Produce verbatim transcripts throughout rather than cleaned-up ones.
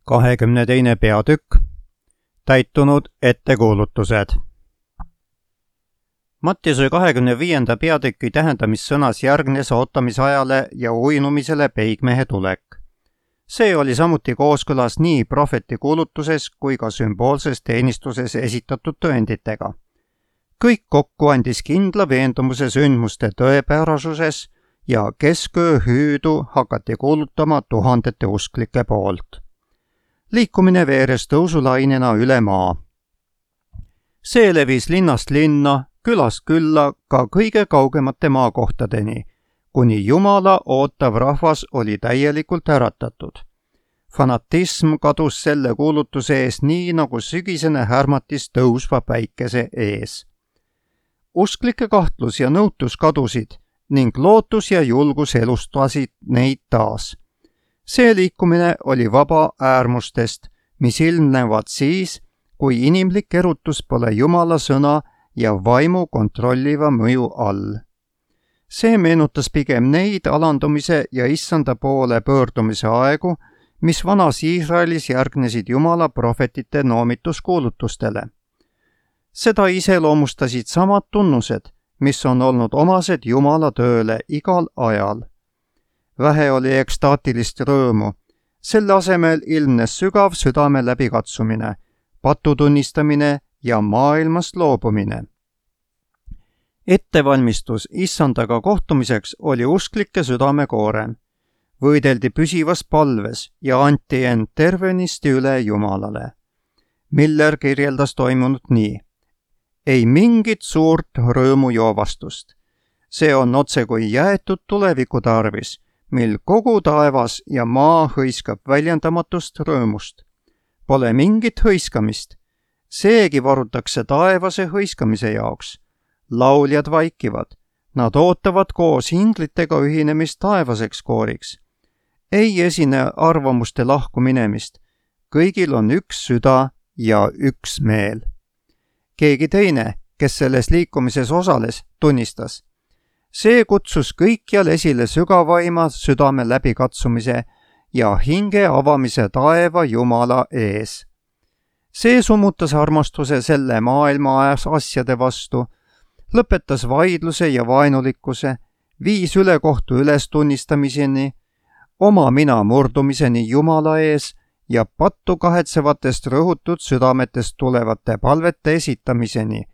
kahekümne teine peatükk. Täitunud ettekuulutused. Mattiuse kahekümne viienda peatüki tähendamissõnas järgnes ootamisajale ja uinumisele peigmehe tulek. See oli samuti kooskõlas nii prohveti kuulutuses kui ka sümboolses teenistuses esitatud tõenditega. Kõik kokku andis kindla veendumuse sündmuste tõepärasuses ja kesköö hüüdu hakati kuulutama tuhandete usklike poolt. Liikumine veeres tõusulainena üle maa. See levis linnast linna, külast külla ka kõige kaugemate maakohtadeni, kuni Jumala ootav rahvas oli täielikult äratatud. Fanatism kadus selle kuulutuse ees nii nagu sügisene härmatis tõusva päikese ees. Usklike kahtlus ja nõutus kadusid ning lootus ja julgus elustasid neid taas. See liikumine oli vaba äärmustest, mis ilmnevad siis, kui inimlik erutus pole Jumala sõna ja vaimu kontrolliva mõju all. See meenutas pigem neid alandumise ja issanda poole pöördumise aegu, mis vanas Iisraelis järgnesid Jumala prohvetite noomituskuulutustele. Seda iseloomustasid samad tunnused, mis on olnud omased Jumala tööle igal ajal. Vähe oli ekstaatilist rõõmu, selle asemel ilmnes sügav südame läbikatsumine, patutunnistamine ja maailmast loobumine. Ettevalmistus issandaga kohtumiseks oli usklike südamekoorem. Võideldi püsivas palves ja anti end tervenisti üle Jumalale. Miller kirjeldas toimunut nii. Ei mingit suurt rõõmujoovastust. See on otsekui jäetud tuleviku tarvis, mil kogu taevas ja maa hõiskab väljendamatust rõõmust. Pole mingit hõiskamist. Seegi varutakse taevase hõiskamise jaoks. Lauljad vaikivad. Nad ootavad koos hinglitega ühinemist taevaseks kooriks. Ei esine arvamuste lahku minemist. Kõigil on üks süda ja üks meel. Keegi teine, kes selles liikumises osales, tunnistas. See kutsus kõikjal esile sügavaima südame läbikatsumise ja hinge avamise taeva Jumala ees. See summutas armastuse selle maailma asjade vastu, lõpetas vaidluse ja vaenulikkuse, viis ülekohtu ülestunnistamiseni, oma mina murdumiseni Jumala ees ja pattu kahetsevatest rõhutud südametest tulevate palvete esitamiseni,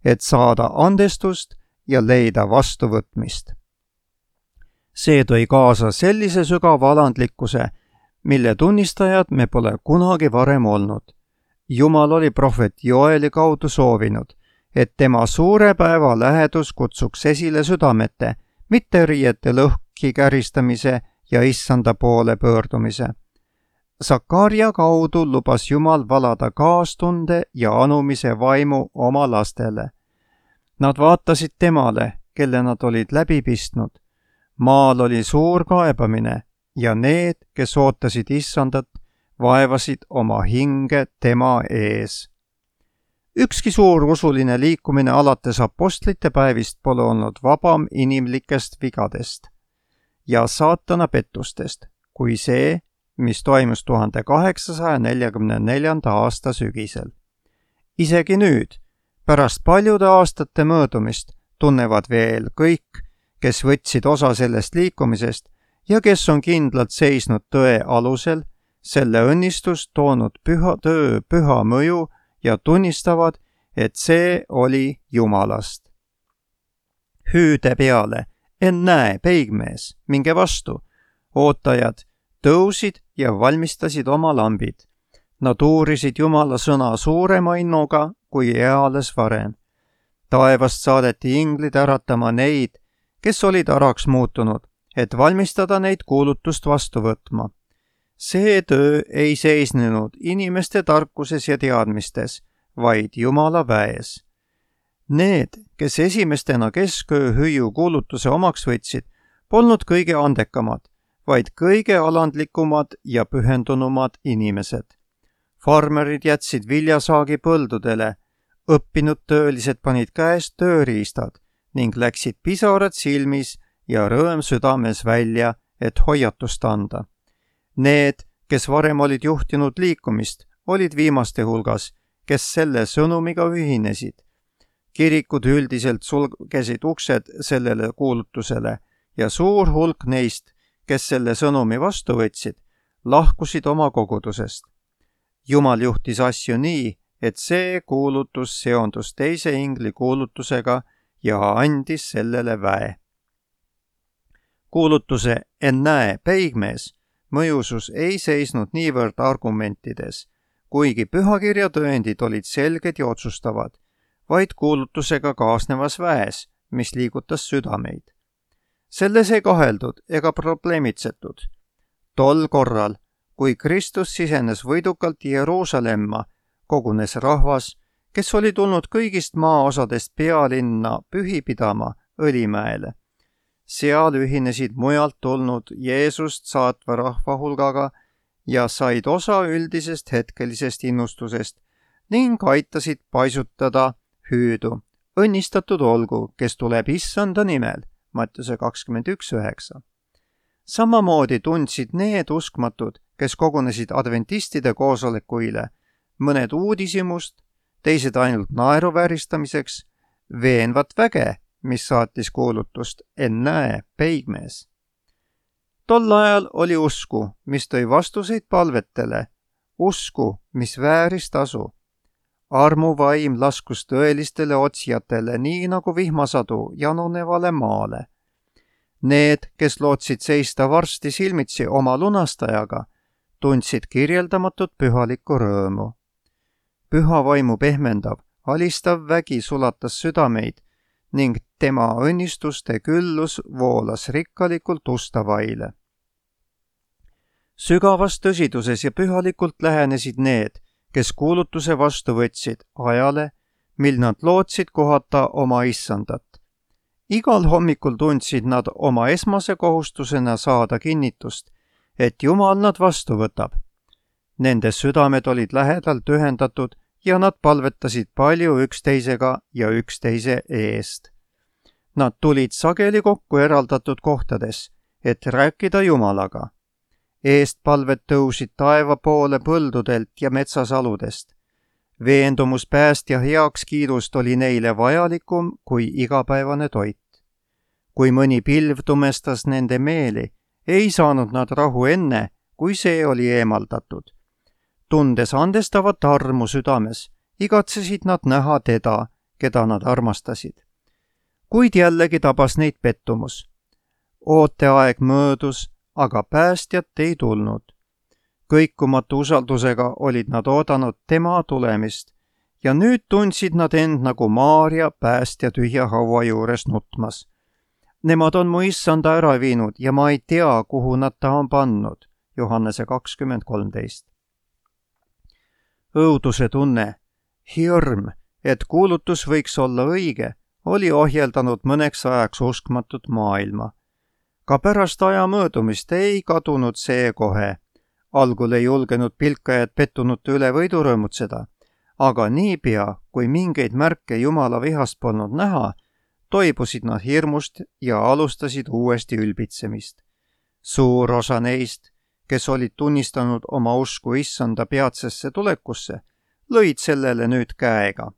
et saada andestust ja leida vastuvõtmist. See tõi kaasa sellise sügava alandlikkuse, mille tunnistajad me pole kunagi varem olnud. Jumal oli prohvet Joeli kaudu soovinud, et tema suure päeva lähedus kutsuks esile südamete, mitte riiete lõhki käristamise ja issanda poole pöördumise. Sakaria kaudu lubas Jumal valada kaastunde ja anumise vaimu oma lastele. Nad vaatasid temale, kelle nad olid läbi pistnud. Maal oli suur kaebamine ja need, kes ootasid issandat, vaevasid oma hinge tema ees. Ükski suur usuline liikumine alates apostlite päevist pole olnud vabam inimlikest vigadest ja saatana pettustest, kui see, mis toimus tuhande kaheksasaja neljakümne neljanda aasta sügisel. Isegi nüüd, pärast paljude aastate möödumist, tunnevad veel kõik, kes võtsid osa sellest liikumisest ja kes on kindlalt seisnud tõe alusel, selle õnnistust toonud püha töö püha mõju ja tunnistavad, et see oli Jumalast. Hüüde peale, ennäe, peigmees, minge vastu. Ootajad tõusid ja valmistasid oma lambid. Nad uurisid Jumala sõna suurema innuga kui eales varem. Taevast saadeti inglid äratama neid, kes olid äraks muutunud, et valmistada neid kuulutust vastu võtma. See töö ei seisnenud inimeste tarkuses ja teadmistes, vaid Jumala väes. Need, kes esimestena kesköö hüüu kuulutuse omaks võtsid, polnud kõige andekamad, vaid kõige alandlikumad ja pühendunumad inimesed. Farmerid jätsid viljasaagi põldudele, õppinud töölised panid käest tööriistad ning läksid pisarad silmis ja rõõm südames välja, et hoiatust anda. Need, kes varem olid juhtinud liikumist, olid viimaste hulgas, kes selle sõnumiga ühinesid. Kirikud üldiselt sulgesid uksed sellele kuulutusele ja suur hulk neist, kes selle sõnumi vastu võtsid, lahkusid oma kogudusest. Jumal juhtis asju nii, et see kuulutus seondus teise ingli kuulutusega ja andis sellele väe. Kuulutuse ennäe peigmees mõjusus ei seisnud niivõrd argumentides, kuigi pühakirja tõendid olid selged ja otsustavad, vaid kuulutusega kaasnevas väes, mis liigutas südameid. Selles ei kaheldud ega probleemitsetud. Tol korral, kui Kristus sisenes võidukalt Jeruusalemma, kogunes rahvas, kes oli tulnud kõigist maaosadest pealinna pühi pidama Õlimäele. Seal ühinesid mujalt tulnud Jeesust saatva rahva hulgaga ja said osa üldisest hetkelisest innustusest ning aitasid paisutada hüüdu. Õnnistatud olgu, kes tuleb issanda nimel, Mattiuse kakskümmend üks üheksa. Samamoodi tundsid need uskmatud, kes kogunesid adventistide koosolekuile, mõned uudishimust, teised ainult naeruvääristamiseks, veenvat väge, mis saatis kuulutust ennäe peigmees. Tol ajal oli usku, mis tõi vastuseid palvetele, usku, mis vääris tasu. Armuvaim laskus tõelistele otsijatele nii nagu vihmasadu janunevale maale. Need, kes lootsid seista varsti silmitsi oma lunastajaga, tundsid kirjeldamatut pühalikku rõõmu. Püha vaimu pehmendav, alistav vägi sulatas südameid ning tema õnnistuste küllus voolas rikkalikult ustavaile. Sügavas tõsiduses ja pühalikult lähenesid need, kes kuulutuse vastu võtsid ajale, mil nad lootsid kohata oma issandat. Igal hommikul tundsid nad oma esmase kohustusena saada kinnitust, et Jumal nad vastu võtab. Nende südamed olid lähedalt ühendatud ja nad palvetasid palju üksteisega ja üksteise eest. Nad tulid sageli kokku eraldatud kohtades, et rääkida Jumalaga. Eestpalved tõusid taeva poole põldudelt ja metsasaludest. Veendumus päästja heakskiidust oli neile vajalikum kui igapäevane toit. Kui mõni pilv tumestas nende meeli, ei saanud nad rahu enne, kui see oli eemaldatud. Tundes andestavat armu südames, igatsesid nad näha teda, keda nad armastasid. Kuid jällegi tabas neid pettumus. Ooteaeg möödus, aga päästjat ei tulnud. Kõikumatu usaldusega olid nad oodanud tema tulemist ja nüüd tundsid nad end nagu Maarja päästja tühja haua juures nutmas. Nemad on mu issanda ära viinud ja ma ei tea, kuhu nad ta on pannud. Johannese kakskümmend kolmteist. Õuduse tunne, hirm, et kuulutus võiks olla õige, oli ohjeldanud mõneks ajaks uskmatut maailma. Ka pärast aja möödumist ei kadunud see kohe. Algul ei julgenud pilkajad pettunute üle võidu rõõmutseda, aga niipea, kui mingeid märke Jumala vihast polnud näha, toibusid nad hirmust ja alustasid uuesti ülbitsemist. Suur osa neist, kes olid tunnistanud oma usku issanda peatsesse tulekusse, lõid sellele nüüd käega.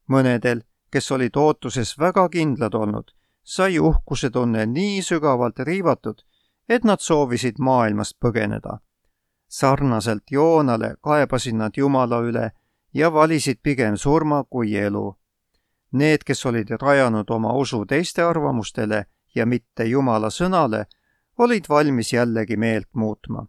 Mõnedel, kes olid ootuses väga kindlad olnud, sai uhkuse tunne nii sügavalt riivatud, et nad soovisid maailmast põgeneda. Sarnaselt Joonale kaebasid nad Jumala üle ja valisid pigem surma kui elu. Need, kes olid rajanud oma usu teiste arvamustele ja mitte Jumala sõnale, olid valmis jällegi meelt muutma.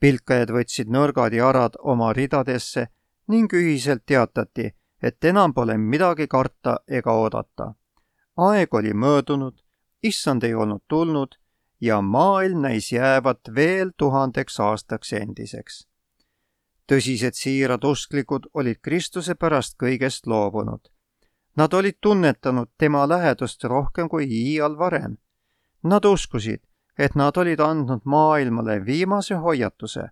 Pilkajad võtsid nõrgad jarad oma ridadesse ning ühiselt teatati, et enam pole midagi karta ega oodata. Aeg oli möödunud, issand ei olnud tulnud ja maailm näis jäävat veel tuhandeks aastaks endiseks. Tõsised siirad usklikud olid Kristuse pärast kõigest loobunud. Nad olid tunnetanud tema lähedust rohkem kui iial varem. Nad uskusid, et nad olid andnud maailmale viimase hoiatuse.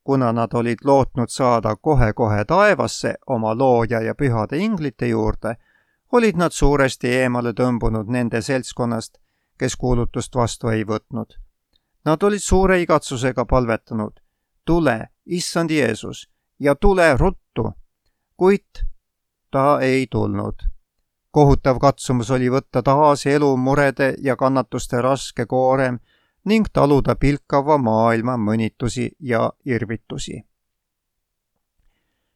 Kuna nad olid lootnud saada kohe-kohe taevasse oma looja ja pühade inglite juurde, olid nad suuresti eemale tõmbunud nende seltskonnast, kes kuulutust vastu ei võtnud. Nad olid suure igatsusega palvetanud. tule, issand Jeesus, ja tule ruttu, kuid ta ei tulnud. Kohutav katsumus oli võtta taas elu murede ja kannatuste raske koorem ning taluda pilkava maailma mõnitusi ja irvitusi.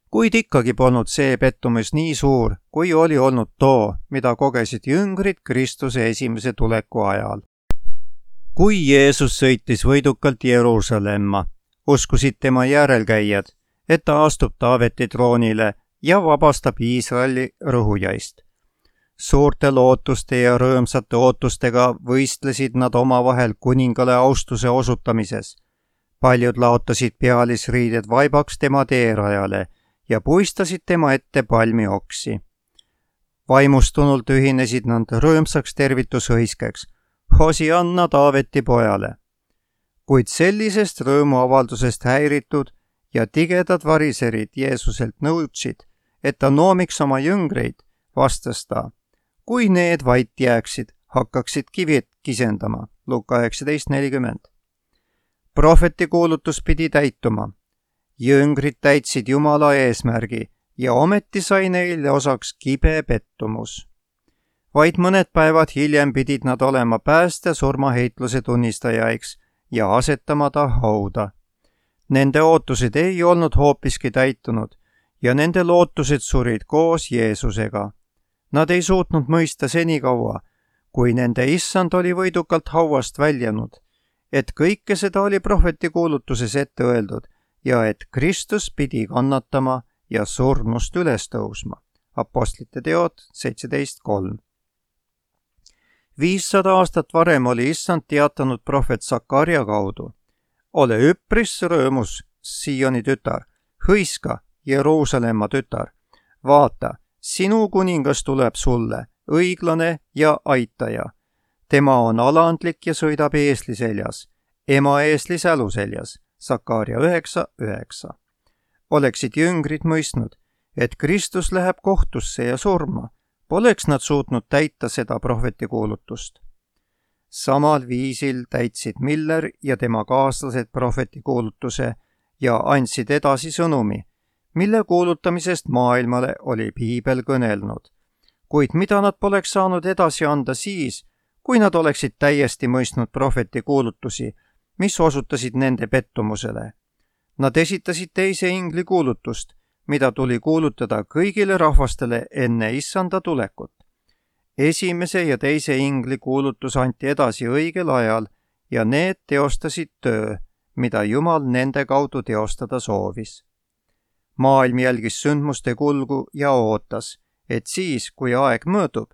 Kuid ikkagi polnud see pettumus nii suur, kui oli olnud too, mida kogesid jüngrid Kristuse esimese tuleku ajal. Kui Jeesus sõitis võidukalt Jeruusalemma, uskusid tema järelkäijad, et ta astub Taaveti troonile ja vabastab Iisraeli rõhujaist. Suurte lootuste ja rõõmsate ootustega võistlesid nad omavahel kuningale austuse osutamises. Paljud laotasid pealisriided vaibaks tema teerajale ja puistasid tema ette palmioksi. Vaimustunult ühinesid nad rõõmsaks tervitushõiskeks, Hosianna Taaveti pojale. Kuid sellisest rõõmuavaldusest häiritud ja tigedad variserid Jeesuselt nõudsid, et ta noomiks oma jüngreid, vastas ta, kui need vait jääksid, hakkaksid kivid kisendama. Luka üheksateist nelikümmend. Prohveti kuulutus pidi täituma. Jüngrid täitsid Jumala eesmärgi ja ometi sai neile osaks kibe pettumus. Vaid mõned päevad hiljem pidid nad olema pääste surmaheitluse tunnistajaiks ja asetama ta hauda. Nende ootused ei olnud hoopiski täitunud ja nende lootused surid koos Jeesusega. Nad ei suutnud mõista senikaua, kui nende issand oli võidukalt hauast väljanud, et kõike seda oli prohveti kuulutuses ette öeldud ja et Kristus pidi kannatama ja surnust üles tõusma. Apostlite teod seitseteist kolm. viissada aastat varem oli issand teatanud prohvet Sakarja kaudu. Ole üpris rõõmus, Sioni tütar, hõiska, Jeruusalemma tütar, vaata, sinu kuningas tuleb sulle, õiglane ja aitaja. Tema on alandlik ja sõidab eesli seljas, ema eesli sälu seljas. Sakarja üheksa üheksa. Oleksid jüngrid mõistnud, et Kristus läheb kohtusse ja surma, poleks nad suutnud täita seda prohveti kuulutust. Samal viisil täitsid Miller ja tema kaaslased prohveti kuulutuse ja andsid edasi sõnumi, mille kuulutamisest maailmale oli Piibel kõnelnud. Kuid mida nad poleks saanud edasi anda siis, kui nad oleksid täiesti mõistnud prohveti kuulutusi, mis osutasid nende pettumusele. Nad esitasid teise ingli kuulutust, mida tuli kuulutada kõigile rahvastele enne issanda tulekut. Esimese ja teise ingli kuulutus anti edasi õigel ajal ja need teostasid töö, mida Jumal nende kaudu teostada soovis. Maailm jälgis sündmuste kulgu ja ootas, et siis, kui aeg möödub,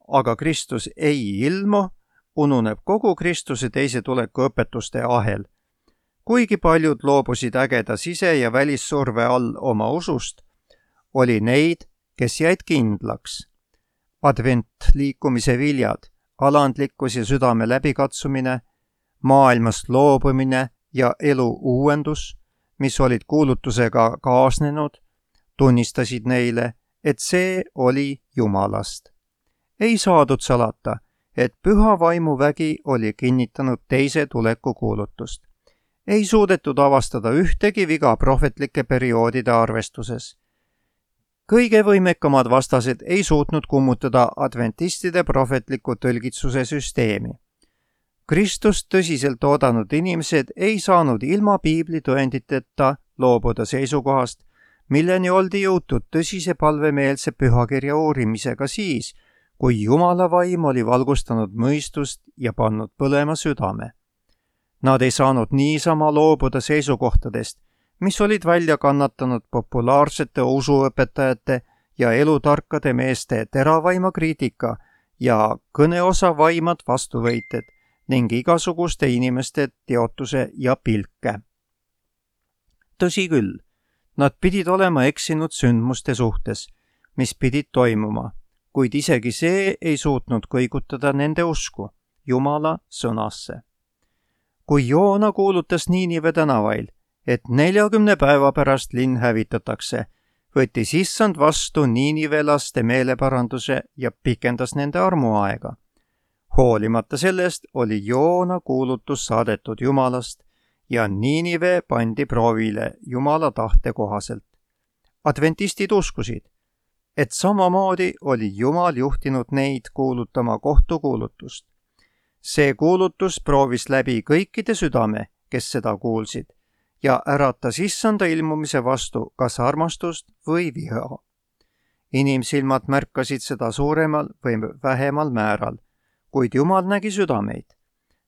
aga Kristus ei ilmu, ununeb kogu Kristuse teise tuleku õpetuste ahel. Kuigi paljud loobusid ägeda sise- ja välissurve all oma usust, oli neid, kes jäid kindlaks. Advent liikumise viljad, alandlikkus ja südame läbikatsumine, maailmast loobumine ja elu uuendus, mis olid kuulutusega kaasnenud, tunnistasid neile, et see oli Jumalast. Ei saadud salata, et püha vaimu vägi oli kinnitanud teise tuleku kuulutust. Ei suudetud avastada ühtegi viga prohvetlike perioodide arvestuses. Kõige võimekamad vastased ei suutnud kummutada adventistide prohvetliku tõlgitsuse süsteemi. Kristust tõsiselt oodanud inimesed ei saanud ilma piibli tõenditeta loobuda seisukohast, milleni oldi jõutud tõsise palvemeelse pühakirja uurimisega siis, kui Jumala vaim oli valgustanud mõistust ja pannud põlema südame. Nad ei saanud niisama loobuda seisukohtadest, mis olid välja kannatanud populaarsete usuõpetajate ja elutarkade meeste teravaima kriitika ja kõneosa vaimad vastuvõited ning igasuguste inimeste teotuse ja pilke. Tõsi küll, nad pidid olema eksinud sündmuste suhtes, mis pidid toimuma, kuid isegi see ei suutnud kõigutada nende usku Jumala sõnasse. Kui Joona kuulutas Niinive tänavail, et neljakümne päeva pärast linn hävitatakse, võttis issand vastu niinivelaste meeleparanduse ja pikendas nende armuaega. Hoolimata sellest oli Joona kuulutus saadetud Jumalast ja Niinive pandi proovile Jumala tahte kohaselt. Adventistid uskusid, et samamoodi oli Jumal juhtinud neid kuulutama kohtukuulutust. See kuulutus proovis läbi kõikide südame, kes seda kuulsid, ja äratas issanda ilmumise vastu kas armastust või viha. Inimsilmad märkasid seda suuremal või vähemal määral, kuid Jumal nägi südameid.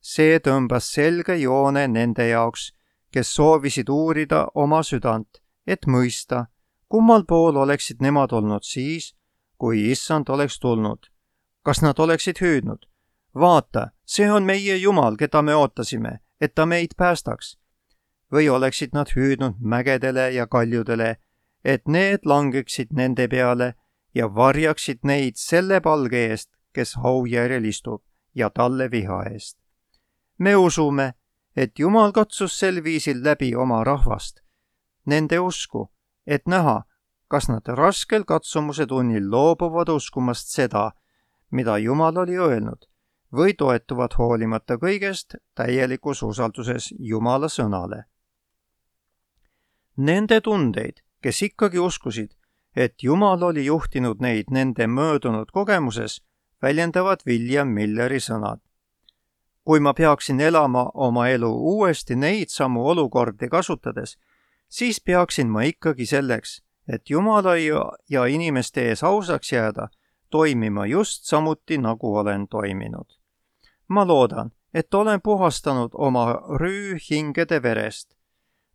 See tõmbas selge joone nende jaoks, kes soovisid uurida oma südant, et mõista, kummal pool oleksid nemad olnud siis, kui issand oleks tulnud. Kas nad oleksid hüüdnud? Vaata, see on meie Jumal, keda me ootasime, et ta meid päästaks. Või oleksid nad hüüdnud mägedele ja kaljudele, et need langeksid nende peale ja varjaksid neid selle palge eest, kes haujärjel istub, ja talle viha eest. Me usume, et Jumal katsus sel viisil läbi oma rahvast, nende usku, et näha, kas nad raskel katsumuse tunnil loobuvad uskumast seda, mida Jumal oli öelnud, või toetuvad hoolimata kõigest täielikus usalduses Jumala sõnale. Nende tundeid, kes ikkagi uskusid, et Jumal oli juhtinud neid nende möödunud kogemuses, väljendavad William Milleri sõnad. Kui ma peaksin elama oma elu uuesti neid samu olukordi kasutades, siis peaksin ma ikkagi selleks, et Jumala ja inimeste ees ausaks jääda, toimima just samuti, nagu olen toiminud. Ma loodan, et olen puhastanud oma rüü hingede verest.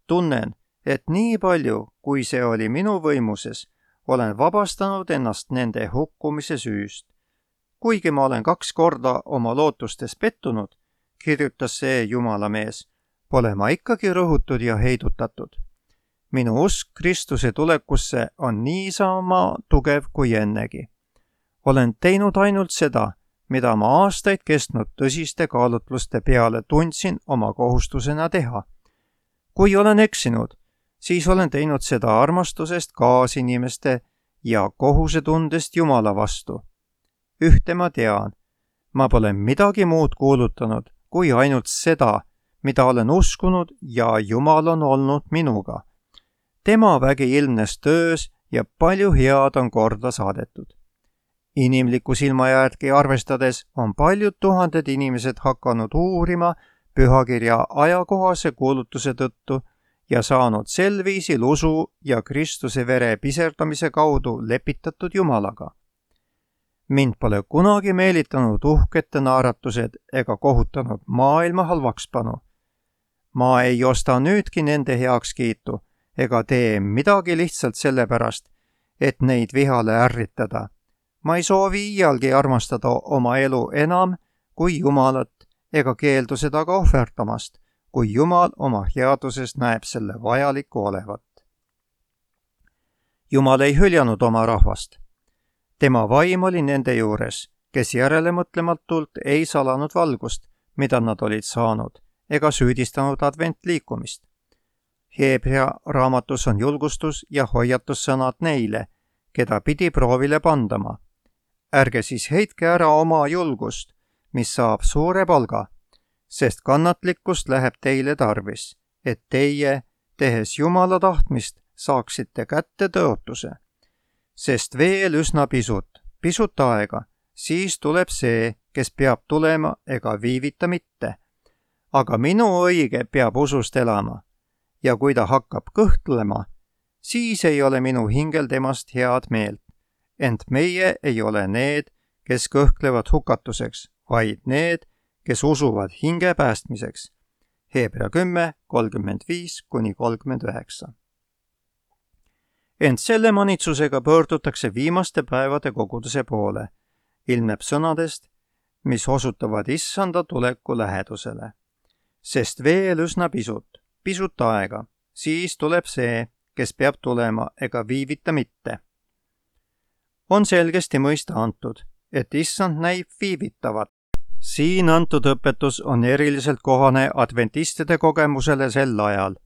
Tunnen, et nii palju, kui see oli minu võimuses, olen vabastanud ennast nende hukkumise süüst. Kuigi ma olen kaks korda oma lootustes pettunud, kirjutas see Jumala mees, pole ma ikkagi rõhutud ja heidutatud. Minu usk Kristuse tulekusse on niisama tugev kui ennegi. Olen teinud ainult seda, mida ma aastaid kestnud tõsiste kaalutluste peale tundsin oma kohustusena teha. Kui olen eksinud, siis olen teinud seda armastusest kaasinimeste ja kohusetundest Jumala vastu. Ühte ma tean, ma pole midagi muud kuulutanud kui ainult seda, mida olen uskunud ja Jumal on olnud minuga. Tema vägi ilmnes töös ja palju head on korda saadetud. Inimliku silma järgi arvestades on paljud tuhanded inimesed hakanud uurima pühakirja ajakohase kuulutuse tõttu ja saanud sel viisil usu ja Kristuse vere piserdamise kaudu lepitatud Jumalaga. Mind pole kunagi meelitanud uhkete naeratused ega kohutanud maailma halvakspanu. Ma ei osta nüüdki nende heakskiitu ega tee midagi lihtsalt sellepärast, et neid vihale ärritada. Ma ei soovi iialgi armastada oma elu enam kui Jumalat ega keeldu seda ka ohverdamast, kui Jumal oma headuses näeb selle vajaliku olevat. Jumal ei hüljanud oma rahvast. Tema vaim oli nende juures, kes järelemõtlematult ei salanud valgust, mida nad olid saanud, ega süüdistanud adventliikumist. Heebrea raamatus on julgustus ja hoiatussõnad neile, keda pidi proovile pandama. Ärge siis heitke ära oma julgust, mis saab suure palga, sest kannatlikkust läheb teile tarvis, et teie, tehes Jumala tahtmist, saaksite kätte tõotuse. Sest veel üsna pisut, pisut aega, siis tuleb see, kes peab tulema ega viivita mitte. Aga minu õige peab usust elama, ja kui ta hakkab kõhtlema, siis ei ole minu hingel temast head meelt. Ent meie ei ole need, kes kõhklevad hukatuseks, vaid need, kes usuvad hinge päästmiseks. Heebrea kümme, kolmkümmend viis kuni kolmkümmend üheksa. Ent selle manitsusega pöördutakse viimaste päevade koguduse poole, ilmneb sõnadest, mis osutavad issanda tuleku lähedusele. Sest veel üsna pisut, pisut aega, siis tuleb see, kes peab tulema ega viivita mitte. On selgesti mõista antud, et issand näib viivitavat. Siin antud õpetus on eriliselt kohane adventistide kogemusele sel ajal.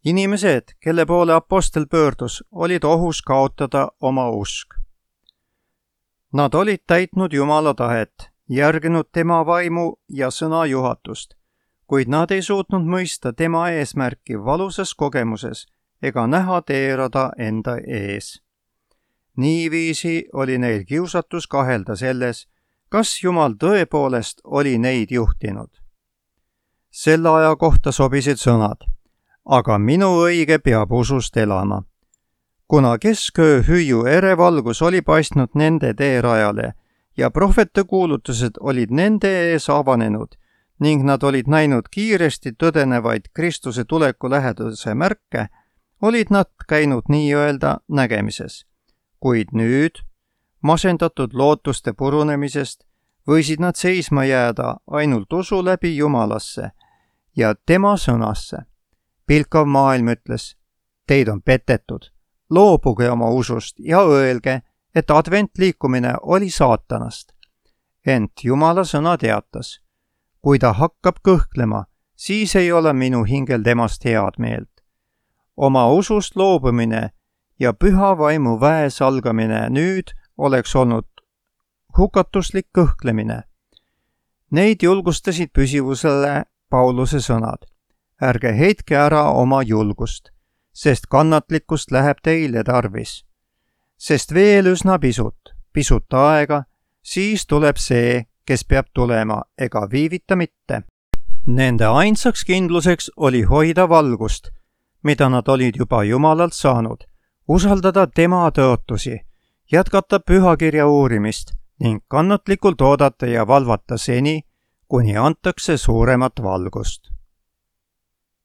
Inimesed, kelle poole apostel pöördus, olid ohus kaotada oma usk. Nad olid täitnud Jumala tahet, järginud tema vaimu ja sõna juhatust, kuid nad ei suutnud mõista tema eesmärki valusas kogemuses ega näha teerada enda ees. Niiviisi oli neil kiusatus kahelda selles, kas Jumal tõepoolest oli neid juhtinud. Selle aja kohta sobisid sõnad, aga minu õige peab usust elama. Kuna kesköö hüüu erevalgus oli paistnud nende teerajale ja prohvete kuulutused olid nende ees avanenud ning nad olid näinud kiiresti tõdenevaid Kristuse tuleku läheduse märke, olid nad käinud nii-öelda nägemises. Kuid nüüd, masendatud lootuste purunemisest, võisid nad seisma jääda ainult usu läbi Jumalasse ja tema sõnasse. Pilkav maailm ütles, teid on petetud, loobuge oma usust ja öelge, et adventliikumine oli saatanast. Ent Jumala sõna teatas, kui ta hakkab kõhklema, siis ei ole minu hingel temast head meelt. Oma usust loobumine ja püha vaimu väes algamine nüüd oleks olnud hukatuslik kõhklemine. Neid julgustasid püsivusele Pauluse sõnad. Ärge heitke ära oma julgust, sest kannatlikkust läheb teile tarvis. Sest veel üsna pisut, pisut aega, siis tuleb see, kes peab tulema, ega viivita mitte. Nende ainsaks kindluseks oli hoida valgust, mida nad olid juba Jumalalt saanud, usaldada tema tõotusi, jätkata pühakirja uurimist ning kannatlikult oodata ja valvata seni, kuni antakse suuremat valgust.